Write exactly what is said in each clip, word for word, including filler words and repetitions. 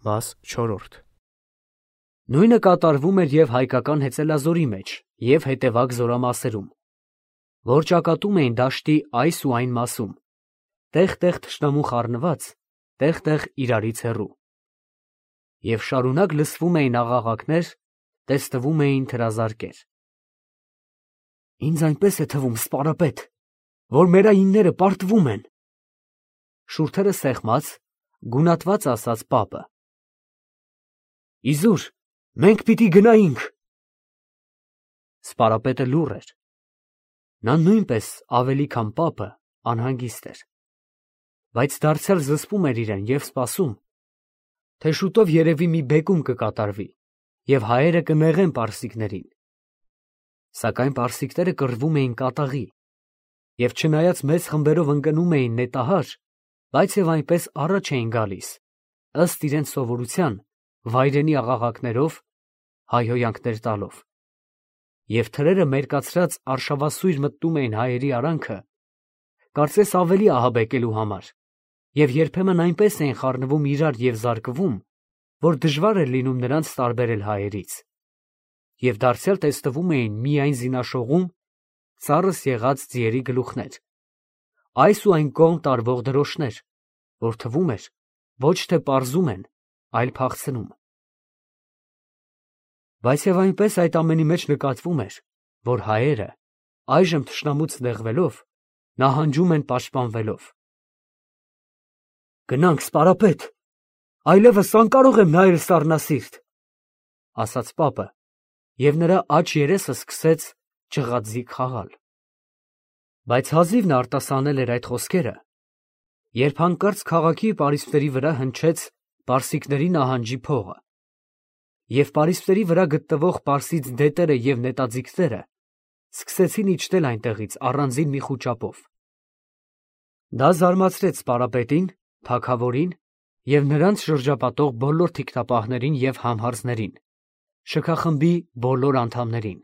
Մաս չորրորդ Նույնը կատարվում էր և հայկական հեծելազորի մեջ և հետևակ զորամասերում, որ ճակատում էին դաշտի այս ու այն մասում, տեղ֊տեղ թշնամու խառնված, տեղ֊տեղ իրարից հեռու. և շարունակ լսվում էին աղաղակներ, տեսնվում էին թրազարկեր։ Ինձ այնպես է թվում, սպարապետ, որ մեր այնները պարտվում են, շուրթերը սեղմած, գունատված ասաց պապը։ Իզուր, մենք պիտի գնայինք։ Սպարապետը լուռ էր։ Նա նույնպես ավելի քան պապը անհանգիստ էր, բայց դարձյալ զսպում էր իրեն և սպասում, թե շուտով երևի մի բեկում կկատարվի և հայերը կնեղեն պարսիկներին։ Սակայն պարսիկները կռվում էին կատաղի և չնայած մեծ խմբերով ընկնում էին նետահար, բայց և այնպես առաջ էին գալիս, ըստ իրենց սովորության, վայրենի աղաղակներով, հայհոյանքներ տալով, և թրերը մերկացրած արշավասույր մտնում էին հայերի արանքը, կարծես ավելի ահաբեկելու համար, և երբեմն այնպես էին խառնվում իրար և զարկվում, որ դժվար էր լինում նրանց տարբերել հայերից, և դարձյալ տեսնվում էին միայն զինաշողում ծառս եղած ձիերի գլուխներ, այս ու այն կողմ տարվող դրոշներ, որ թվում էր, ոչ թե պարզում են, այլ փախցնում։ Բայց և այնպես այդ ամենի մեջ նկատվում էր, որ հայերը, այժմ թշնամուց նեղվելով, նահանջում են պաշտպանվելով։ Գնանք, սպարապետ, այլևս անկարող եմ նայել սառնասիրտ, ասաց պապը, և նրա աջ երեսը սկսեց ջղածիկ խաղալ։ Բայց հազիվ նա արտասանել էր այդ խոսքերը, երբ հանկարծ քաղաքի պարիսպների վրա հնչեց պարսիկների նահանջի փողը, և պարիսպների վրա գտնվող պարսից դետերը և նետաձիգները սկսեցին իջնել այնտեղից առանձին մի խուճապով։ Դա զարմացրեց սպարապետին, թագավորին և նրանց շրջապատող բոլոր թիկնապահներին և համհարձներին, շքախմբի բոլոր անդամներին։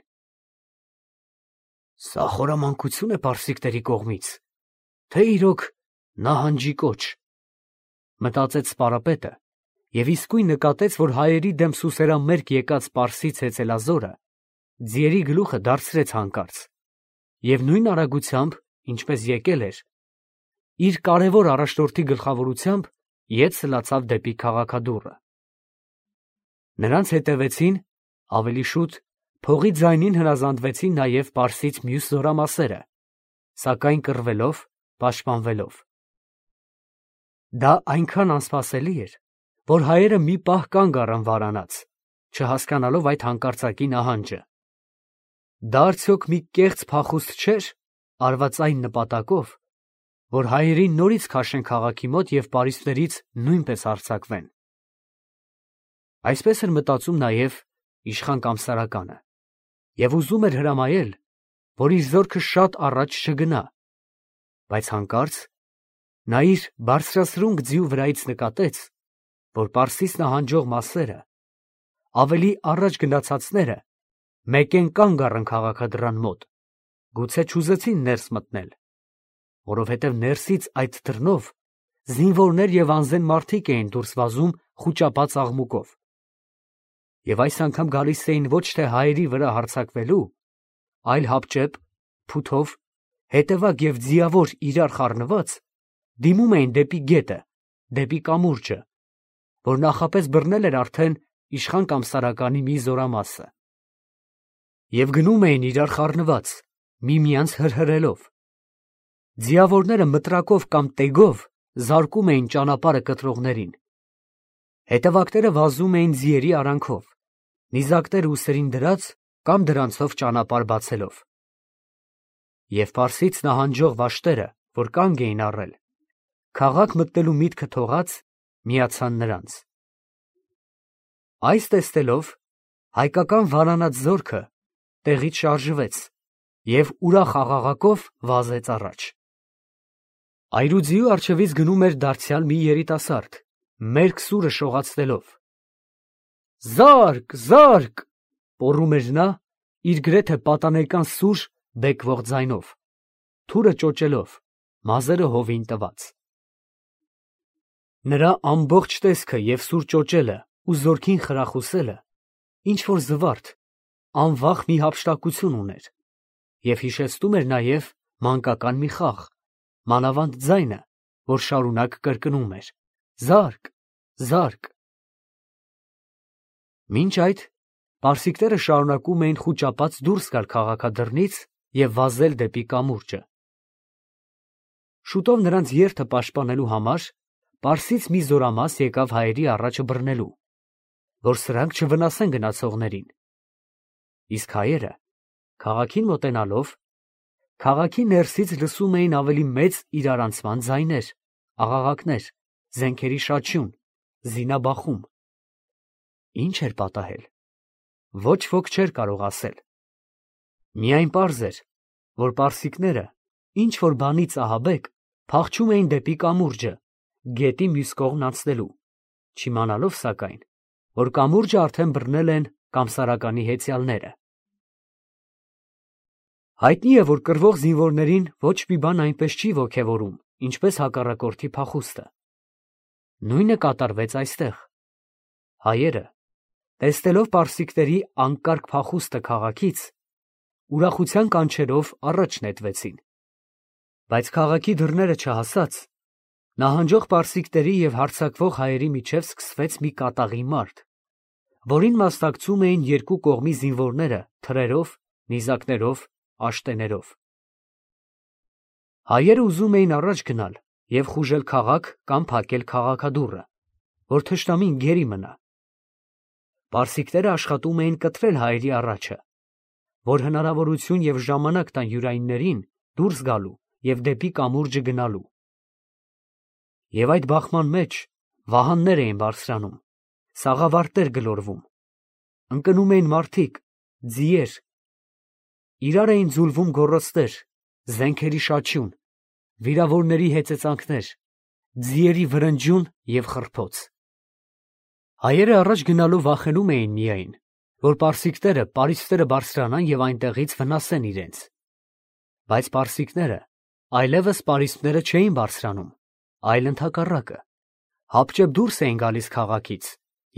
Սա խորամանկություն է պարսիկների կողմից, թե իրոք նահանջի կոչ, մտածեց սպարապետը և իսկույն նկատեց, որ հայերի դեմ սուսերամերկ եկած պարսից հեծելազորը ձիերի գլուխը դարձրեց հանկարծ և նույն արագությամբ, ինչպես եկել էր, իր կարևոր առաջնորդի գլխավորությամբ ետ սլացավ դեպի քաղաքադուռը։ Նրանց հետևեցին, ավելի շուտ, փողի ձայնին հնազանդվեցին նաև պարսից մյուս զորամասերը, սակայն կռվելով, պաշտպանվելով։ Դա այնքան անսպասելի էր, որ հայերը մի պահ կանգ առան վարանած, չհասկանալով այդ հանկարծակի նահանջը։ Դա արդյոք մի կեղծ փախուստ չէր արված այն նպատակով, որ հայերին նորից քաշեն քաղաքի մոտ և պարիսպներից նույնպես արձակվեն։ Այսպես էր մտածում նաև իշխան Կամսարականը և ուզում էր հրամայել, որ իր զորքը շատ առաջ չգնա, բայց հանկարծ նա իր բարձրասրունք ձիու վրայից նկատեց, որ պարսից նահանջող մասերը, ավելի առաջ գնացածները, մեկեն կանգ առան քաղաքադռան մոտ, գուցե չուզեցին ներս մտնել, որովհետև ներսից այդ դռնով զինվորներ և անզեն մարդիկ էին դուրս վազում խուճապած աղմուկով, և այս անգամ գալիս էին ոչ թե հայերի վրա հարձակվելու, այլ հապճեպ, փութով, հետևակ և ձիավոր իրար խառնված, դիմում էին դեպի գետը, դեպի կամուրջը, որ նախապես բռնել էր արդեն իշխան Կամսարականի մի զորամասը, և գնում էին իրար խառնված, միմյանց հրհրելով։ Ձիավորները մտրակով կամ տեգով զարկում էին ճանապարհը կտրողներին։ Հետևակները վազում էին ձիերի արանքով, նիզակները ուսերին դրած կամ դրանցով ճանապարհ բացելով։ Եվ պարսից նահանջող վաշտերը, որ կանգ էին առել, քաղաք մտնելու միտքը թողած, միացան նրանց։ Այս տեսնելով, հայկական վարանած զորքը տեղից շարժվեց և ուրախ աղաղակով վազեց առաջ։ Այրուձիու առջևից գնում էր դարձյալ մի երիտասարդ, մերկ սուրը շողացնելով։ Զա՛րկ, զա՛րկ, պոռում էր նա իր գրեթե պատանեկան սուր բեկվող ձայնով, թուրը ճոճելով, մազերը հովին տված։ Նրա ամբողջ տեսքը և սուր ճոճելը ու զորքին խրախուսելը ինչ-որ զվարթ, անվախ մի հափշտակություն ուներ և հիշեցնում էր նաև մանկական մի խաղ, մանավանդ ձայնը, որ շարունակ կրկնում էր. «Զա՛րկ, զա՛րկ»։ Մինչ այդ պարսիկները շարունակում էին խուճապած դուրս գալ քաղաքադռնից և վազել դեպի կամուրջը։ Շուտով նրանց երթը պաշտպանելու համար պարսից մի զորամաս եկավ հայերի առաջը բռնելու, որ սրանք չվնասեն գնացողներին, իսկ հայերը, քաղաքին մոտենալով, քաղաքի ներսից լսում էին ավելի մեծ իրարանցման ձայներ, աղաղակներ, զենքերի շաչյուն, զինաբախում։ Ինչ էր պատահել, ոչ ոք չէր կարող ասել. միայն պարզ էր, որ պարսիկները ինչ-որ բանից ահաբեկ փախչում էին դեպի կամուրջը, գետի մյուս կողմն անցնելու, չիմանալով սակայն, որ կամուրջը արդեն բռնել են Կամսարականի հեծյալները։ Հայտնի է, որ կռվող զինվորներին ոչ մի բան այնպես չի ոգևորում, ինչպես հակառակորդի փախուստը։ Նույնը կատարվեց այստեղ։ Հայերը, տեսնելով պարսիկների անկարգ փախուստը քաղաքից, ուրախության կանչերով առաջ նետվեցին։ Բայց քաղաքի դռները չհասած, նահանջող պարսիկների և հարձակվող հայերի միջև սկսվեց մի կատաղի մարդ, որին մասնակցում էին երկու կողմի զինվորները թրերով, նիզակներով, աշտեներով։ Հայերը ուզում էին առաջ գնալ և խուժել քաղաք կամ փակել քաղաքադուռը, որ թշնամին գերի մնա։ Պարսիկները աշխատում էին կտրել հայերի առաջը, որ հնարավորություն և ժամանակ տան յուրայիններին դուրս գալու և դեպի կամուրջը գնալու։ Եվ այդ բախման մեջ վահաններ էին բարձրանում, սաղավարտներ գլորվում, ընկնում էին մարդիկ, ձիեր, իրար էին ձուլվում գոռոցներ, զենքերի շաչյուն, վիրավորների հեծեծանքներ, ձիերի վրնջյուն և խռփոց։ Հայերը առաջ գնալու վախենում էին միայն, որ պարսիկները պարիսպները բարձրանան և այնտեղից վնասեն իրենց։ Բայց պարսիկները այլևս պարիսպները չէին բարձրանում, այլ ընդհակառակը, հապճեպ դուրս էին գալիս քաղաքից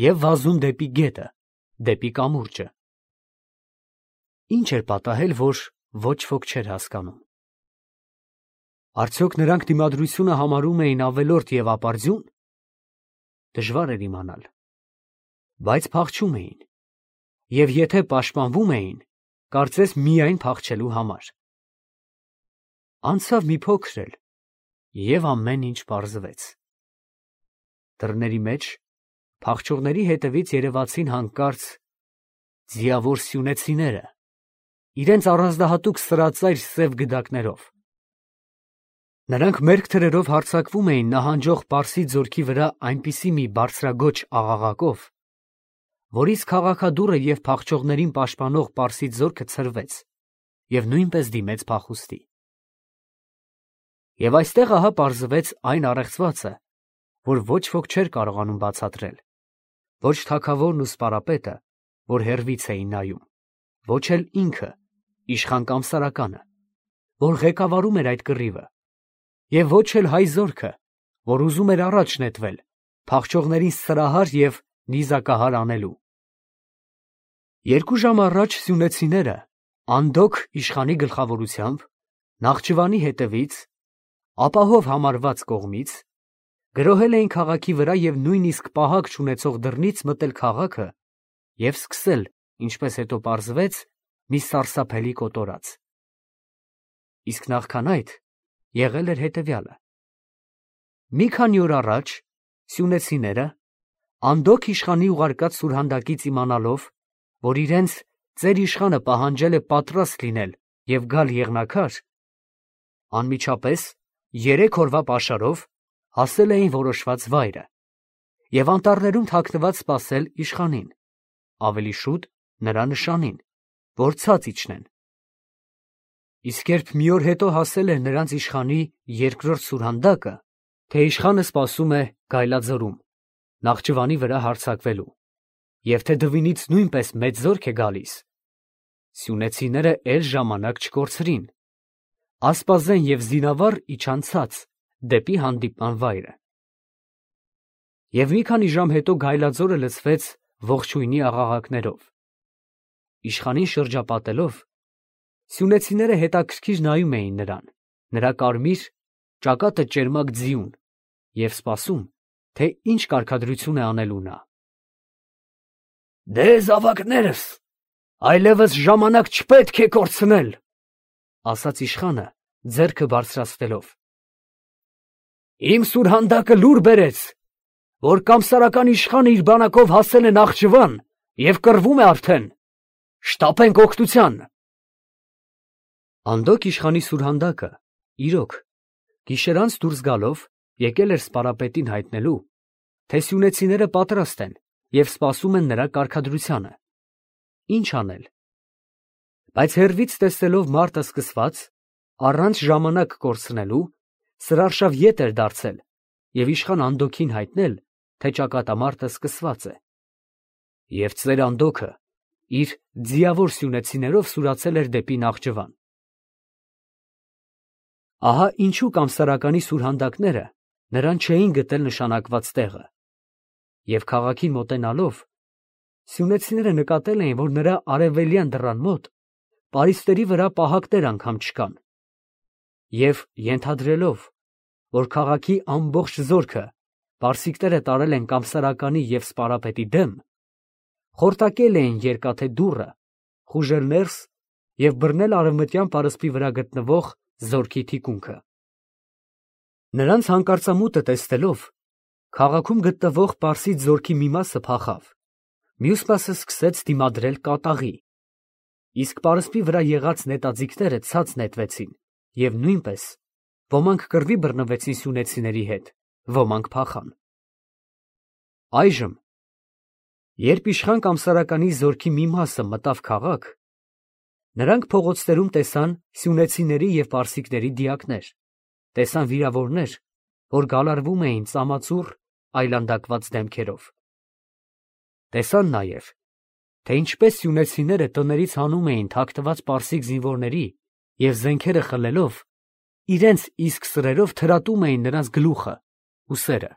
և վազում դեպի գետը, դեպի կամուրջը։ Ինչ էր պատահել, որ ոչ ոք չէր հասկանում։ Արդյոք նրանք դիմադրությունը համարում էին ավելորդ և ապարդյուն։ Դժվար էր իմանալ, բայց փախչում էին, և եթե պաշտպանվում էին, կարծես միայն փախչելու համար։ Անցավ մի փոքր էլ, և ամեն ինչ պարզվեց։ Դռների մեջ փախչողների հետևից երևացին հանկարծ ձիավոր սյունեցիները, իրենց առանձնահատուկ սրածայր սև գդակներով։ Նրանք մերկ թրերով հարձակվում էին նահանջող պարսի ձորքի վրա այնպիսի մի բարձրաձոչ աղաղակով, որից քաղաքադուռը և փախչողներին պաշտպանող պարսի ձորքը ցրվեց և նույնպես դիմեց փախուստի։ Եվ այստեղ ահա պարզվեց այն առեղծվածը, որ ոչ ոք չէր կարողանում բացատրել, ոչ թագավորն ու սպարապետը, որ հեռվից էին նայում, ոչ էլ ինքը, իշխան Կամսարականը, որ ղեկավարում էր այդ կռիվը, և ոչ էլ հայ զորքը, որ ուզում էր առաջ նետվել, փախչողներին սրահար և նիզակահար անելու։ Երկու ժամ առաջ սյունեցիները, Անդոք իշխանի գլխավորությամբ, Նախճիվանի հետևից, ապահով համարված կողմից, գրոհել էին քաղաքի վրա և նույնիսկ պահակ չունեցող դռնից մտել քաղաքը և սկսել, ինչպես հետո պարզվեց, մի սարսափելի կոտորած։ Իսկ նախքան այդ եղել էր հետևյալը. մի քանի օր առաջ սյունեցիները, Անդոք իշխանի ուղարկած սուրհանդակից իմանալով, որ իրենց ծեր իշխանը պահանջել է պատրաստ լինել և գալ եղնաքար, անմիջապես երեք օրվա պաշարով հասել էին որոշված վայրը և անտառներում թաքնված սպասել իշխանին, ավելի շուտ նրա նշանին, որ ցած իջնեն։ Իսկ երբ մի օր հետո հասել էր նրանց իշխանի երկրորդ սուրհանդակը, թե իշխանը սպասում է Գայլաձորում, Նախճիվանի վրա հարձակվելու, և թե Դվինից նույնպես մեծ զորք է գալիս, սյունեցիները էլ ժամանակ չկորցրին, ասպազեն և զինավառ իջան ցած դեպի հանդիպման վայրը։ Եվ մի քանի ժամ հետո գայլաձորը լցվեց ողջույնի աղաղակներով։ Իշխանին շրջապատելով, սյունեցիները հետաքրքիր նայում էին նրան, նրա կարմիր, ճակատը ճերմակ ձիուն, և սպասում, թե ինչ կարգադրություն է անելու նա։ «Դե զավակներս, այլևս ժամանակ չպետք է կորցնել», ասաց իշխանը, ձեռքը բարձրացնելով։ «Իմ սուրհանդակը լուր բերեց, որ կամսարական իշխանը իր բանակով հասել է Նախճիվան և կռվում է արդեն, շտապենք օգնության»։ Անդոք իշխանի սուրհանդակը, իրոք, գիշերանց դուրս գալով, եկել էր սպարապետին հայտնելու, թե սյունեցիները պատրաստ են և սպասում են նրա կարգադրությանը։ Ինչ անել։ Բայց հեռվից տեսնելով մարտը սկսված, առանց ժամանակ կորցնելու, սրարշավ ետ էր դարձել և իշխան Անդոքին հայտնել, թե ճակատամարտը սկսված է։ Եվ ծեր Անդոքը իր ձիավոր սյունեցիներով սուրացել էր դեպի Նախճիվան։ Ահա ինչու կամսարականի սուրհանդակները նրան չէին գտել նշանակված տեղը։ Եվ քաղաքին մոտենալով, սյունեցիները նկատել էին, որ նրա արևելյան դռան մոտ պարիսպների վրա պահակներ անգամ չկան, և ենթադրելով, որ քաղաքի ամբողջ զորքը պարսիկները տարել են կամսարականի և սպարապետի դեմ, խորտակել էին երկաթե դուռը, խուժել ներս և բռնել արևմտյան պարսպի վրա գտնվող զորքի թիկունքը։ Նրանց հանկարծամուտը տեսնելով, քաղաքում գտնվող պարսից զորքի մի մասը փախավ, մյուս մասը սկսեց դիմադրել կատաղի, իսկ պարսպի վրա եղած նետաձիգները ցած նետվեցին և նույնպես ոմանք կռվի բռնվեցին սյունեցիների հետ, ոմանք փախան։ Այժմ, երբ իշխան կամսարականի զորքի մի մասը մտավ քաղաք, նրանք փողոցներում տեսան սյունեցիների և պարսիկների դիակներ, տեսան վիրավորներ, որ գալարվում էին ծամածուռ այլանդակված դեմքերով։ Տեսան նաև, թե ինչպես սյունեցիները տներից հանում էին թաքնված պարսիկ զինվորների և զենքերը խլելով, իրենց իսկ սրերով թրատում էին նրանց գլուխը, ուսերը։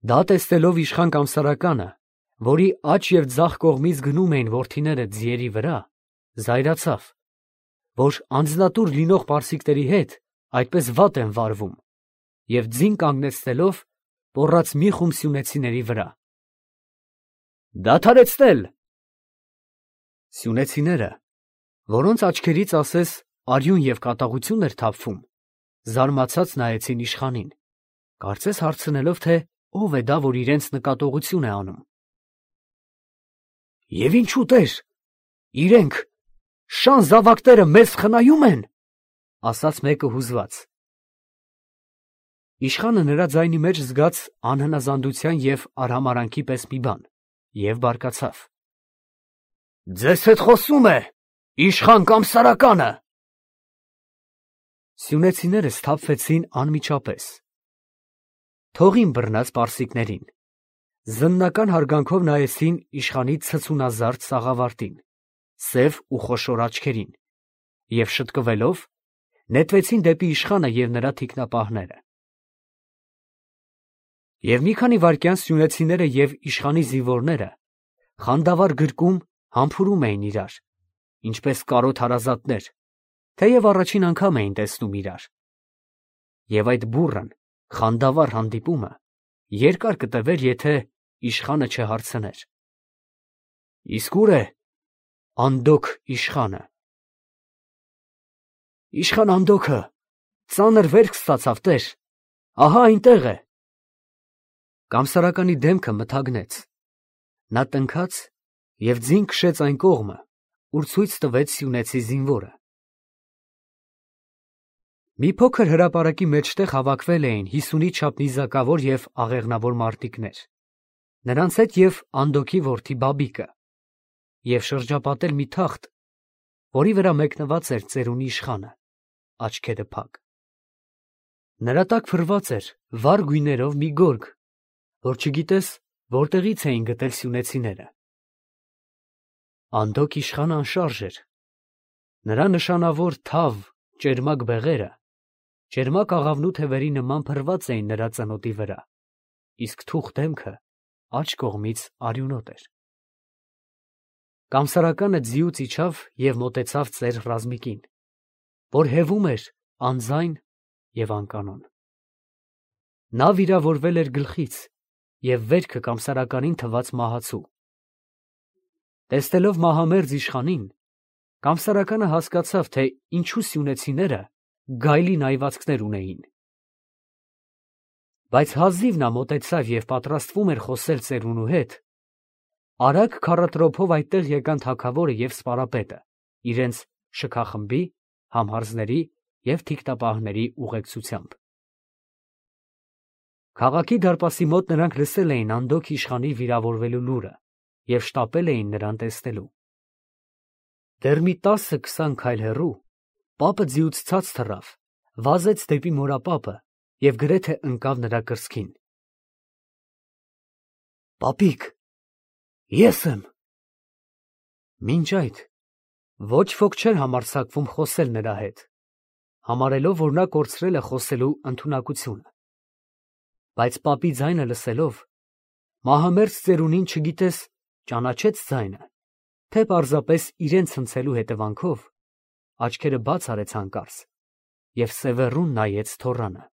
Դա տեսնելով իշխան կամսարականը, որի աջ և ձախ կողմից գնում էին որդիները ձիերի վրա, զայրացավ, որ անձնատուր լինող պարսիկների հետ այդպես վատ են վարվում, և ձին կանգնեցնելով, պոռաց մի խումբ սյունեցիների վրա։ «Դադարեցնել»։ Սյունեցիները, որոնց աչքերից ասես արյուն և կատաղություն էր թափվում, զարմացած նայեցին իշխանին, կարծես հարցնելով, թե ով է դա, որ իրենց նկատողություն է անում։ «Եվ ինչու տեր, իրենք, շան զավակները մեզ խնայում են», ասաց մեկը հուզված։ Իշխանը նրա ձայնի մեջ զգաց անհնազանդության և արհամարհանքի պես մի բան և բարկացավ. «Ձեզ հետ խոսում է իշխան կամսարականը»։ Սյունեցիները սթափվեցին անմիջապես։ Թողին բռնած պարսիկներին, զննական հարգանքով նայեցին իշխանի ցցունազարդ սաղավարտին, սև ու խոշոր աչքերին, և շտկվելով, նետվեցին դեպի իշխանը և նրա թիկնապահները։ Եվ մի քանի վայրկյան սյունեցիները և իշխանի զինվորները խանդավառ գրկում համբուրում էին իրար, ինչպես կարոտ հարազատներ, թեև առաջին անգամ էին տեսնում իրար։ Եվ այդ բուռն, խանդավառ հանդիպումը երկար կտևեր, եթե իշխանը չհարցներ. «Իսկ ո՞ւր է Անդոք իշխանը»։ «Իշխան Անդոքը ծանր վերք ստացավ, տեր, ահա այնտեղ է»։ Կամսարականի դեմքը մթագնեց, նա տնքաց և ձին քշեց այն կողմը, ուր ցույց տվեց սյունեցի զինվորը։ Մի փոքր հրապարակի մեջտեղ հավաքվել էին հիսունի չափ նիզակավոր և աղեղնավոր մարտիկներ, նրանց հետ և Անդոքի որդի Բաբիկը, և շրջապատել մի թախտ, որի վրա մեկնված էր ծերունի իշխանը, աչքերը փակ։ Նրա տակ փռված էր վառ գույներով մի գորգ, որ չգիտես որտեղից էին գտել սյունեցիները։ Անդոք իշխանը անշարժ էր, նրա նշանավոր թավ, ճերմակ բեղերը ճերմակ աղավնու թևերի նման փռված էին նրա ծնոտի վրա, իսկ թուխ դեմքը աջ կողմից արյունոտ էր։ Կամսարականը ձիուց իջավ և մոտեցավ ծեր Ռազմիկին, որ հևում էր անձայն և անկանոն։ Նա վիրավորվել էր գլխից և վերքը կամսարականին թվաց մահացու։ Տեսնելով մահամերձ իշխանին, կամսարականը հասկացավ, թե ինչու սյունեցիները գայլի նայվածքներ ունեին։ Բայց հազիվ նա մոտեցավ և պատրաստվում էր խոսել ծերունու հետ, արագ քառատրոփով այդտեղ եկան թագավորը և սպարապետը իրենց շքախմբի, համհարձների և թիկտապահների ուղեկցությամբ։ Քաղաքի դարպասի մոտ նրանք լսել էին Անդոք իշխանի վիրավորվելու լուրը և շտապել էին նրան տեսնելու։ Դեռ մի տասը֊քսան քայլ հեռու պապը ձիուց ցած թռավ, վազեց դեպի մորապապը և գրեթե ընկավ նրա կրծքին։ «Պապիկ, ես եմ»։ Մինչ այդ ոչ ոք չէր համարձակվում խոսել նրա հետ, համարելով, որ նա կորցրել է խոսելու ընդունակությունը։ Բայց պապի ձայնը լսելով, մահամերձ ծերունին, չգիտես ճանաչե՞ց ձայնը, թե պարզապես իրեն ցնցելու հետևանքով, աչքերը բաց արեց հանկարծ և սևեռուն նայեց թոռանը,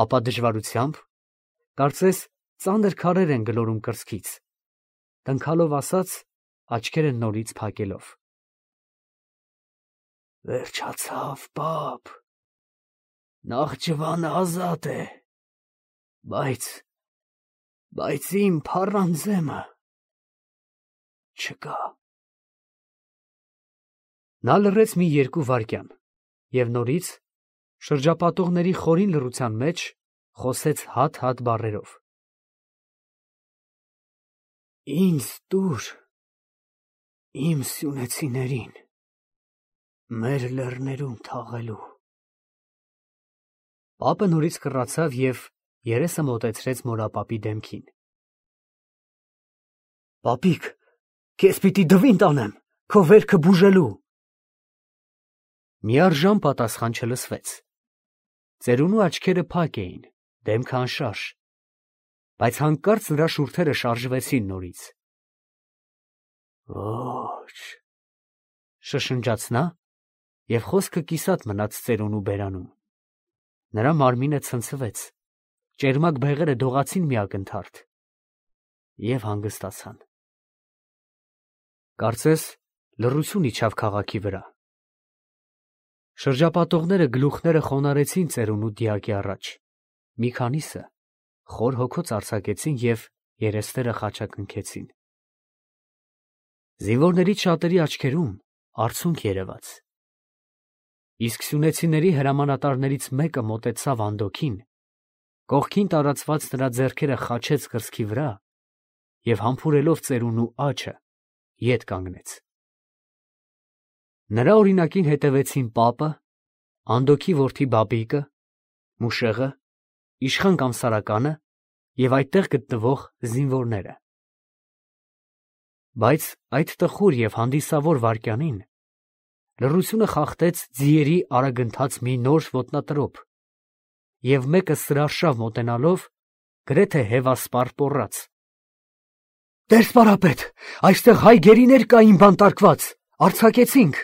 ապա դժվարությամբ, կարծես ծանր քարեր են գլորում կրծքից, տնքալով ասաց, աչքերը նորից փակելով. «Վերջացավ, պապ, Նախճիվանը ազատ է, բայց, բայց իմ փառանձեմը չկա»։ Նա լռեց մի երկու վայրկյան և նորից, շրջապատողների խորին լռության մեջ, խոսեց հատ֊հատ բառերով. «Ինձ տուր իմ սյունեցիներին մեր լեռներում թաղելու»։ Պապը նորից կռացավ և երեսը մոտեցրեց մորապապի դեմքին։ «Պապիկ, քեզ պիտի դվին տանեմ քո վերքը բուժելու»։ Միառժամ պատասխան չլսվեց։ Ծերունու աչքերը փակ էին, դեմքը անշարժ, բայց հանկարծ նրա շուրթերը շարժվեցին նորից։ «Ոչ», շշնջաց նա, և խոսքը կիսատ մնաց ծերունու բերանում։ Նրա մարմինը ցնցվեց, ճերմակ բեղերը դողացին մի ակնթարթ և հանգստացան։ Կարծես լռություն իջավ քաղաքի վրա։ Շրջապատողները գլուխները խոնարհեցին ծերունու դիակի առաջ, մի քանիսը խոր հոգոց արձակեցին և երեսները խաչակնքեցին։ Զինվորներից շատերի աչքերում արցունք երևաց։ Իսկ սյունեցիների հրամանատարներից մեկը մոտեցավ Անդոքին, կողքին տարածված նրա ձեռքերը խաչեց կրծքի վրա և համբուրելով ծերունու աջը, ետ կանգնեց։ Նրա օրինակին հետևեցին պապը, Անդոքի որդի Բաբիկը, Մուշեղը, իշխան Կամսարականը և այդտեղ գտնվող զինվորները։ Բայց այդ տխուր և հանդիսավոր վայրկյանին լռությունը խախտեց ձիերի արագընթաց մի նոր ոտնատրոփ, և մեկը սրարշավ մոտենալով, գրեթե հևասպառ պոռաց. «Տեր֊սպարապետ, այստեղ հայ գերիներ կային բանտարկված, արձակեցինք»։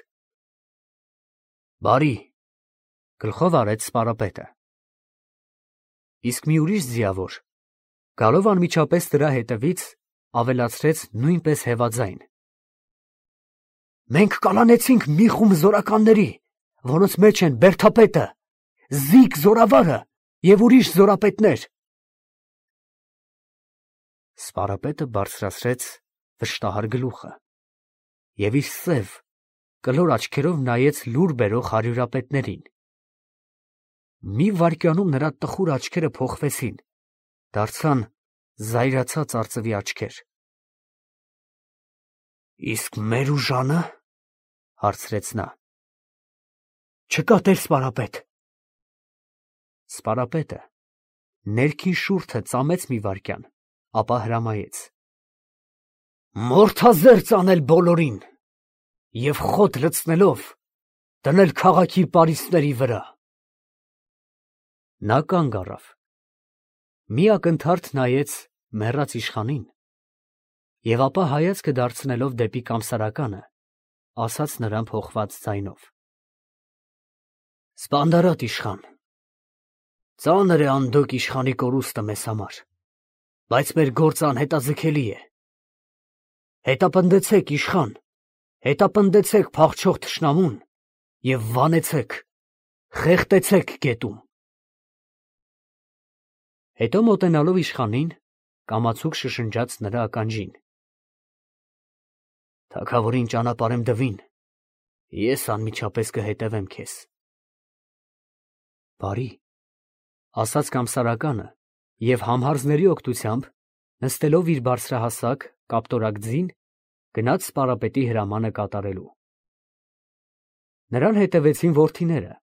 «Բարի», գլխով արեց սպարապետը։ Իսկ մի ուրիշ ձիավոր, գալով անմիջապես նրա հետևից, ավելացրեց նույնպես հևաձայն. «Մենք կալանեցինք մի խումբ զորականների, որոնց մեջ են Բերդապետը, Զիգ զորավարը և ուրիշ զորապետներ»։ Սպարապետը բարձրացրեց վշտահար գլուխը և իր սև, կլոր աչքերով նայեց լուր բերող հարյուրապետներին։ Մի վայրկյանում նրա տխուր աչքերը փոխվեցին, դարձան զայրացած արծվի աչքեր։ «Իսկ մեր ուժանը»։ հարցրեց նա։ «Չկա, տեր֊սպարապետ»։ Սպարապետը ներքին շուրթը ծամեց մի վայրկյան, ապա հրամայեց. «Մորթազերծ անել բոլորին և խոտ լցնելով դնել քաղաքի պարիսպների վրա»։ Նա կանգ առավ։ մի ակնթարթ նայեց մեռած իշխանին և ապա հայացքը դարձնելով դեպի կամսարականը, ասաց նրան փոխված ձայնով. «Սպանդարատ իշխան, ծանր է անդոկ իշխանի կորուստը մեզ համար, բայց մեր գործը անհետաձգելի է. հետապնդեցեք, իշխան, հետապնդեցեք փախչող թշնամուն և վանեցեք, խեղդեցեք գետում»։ Հետո մոտենալով իշխանին, կամացուկ շշնջաց նրա ականջին. «Թագավորին ճանապարհեմ դվին, ես անմիջապես կհետևեմ քեզ»։ «Բարի», ասաց կամսարականը և համհարձների օգնությամբ, նստելով իր բարձրահասակ, կապտորակ ձին, գնաց սպարապետի հրամանը կատարելու։ Նրան հետևեցին որդիները,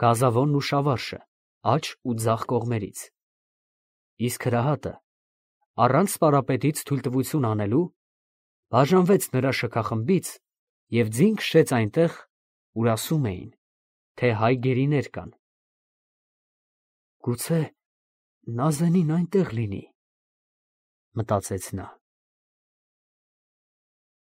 Գազավոնն ու Շավարշը, աջ ու ձախ կողմերից, իսկ հրահատը, առանց սպարապետից թույլտվություն անելու, բաժանվեց նրա շքախմբից և ձին քշեց այնտեղ, ուր ասում էին, թե հայ գերիներ կան։ «Գուցե Նազենին այնտեղ լինի», մտածեց նա։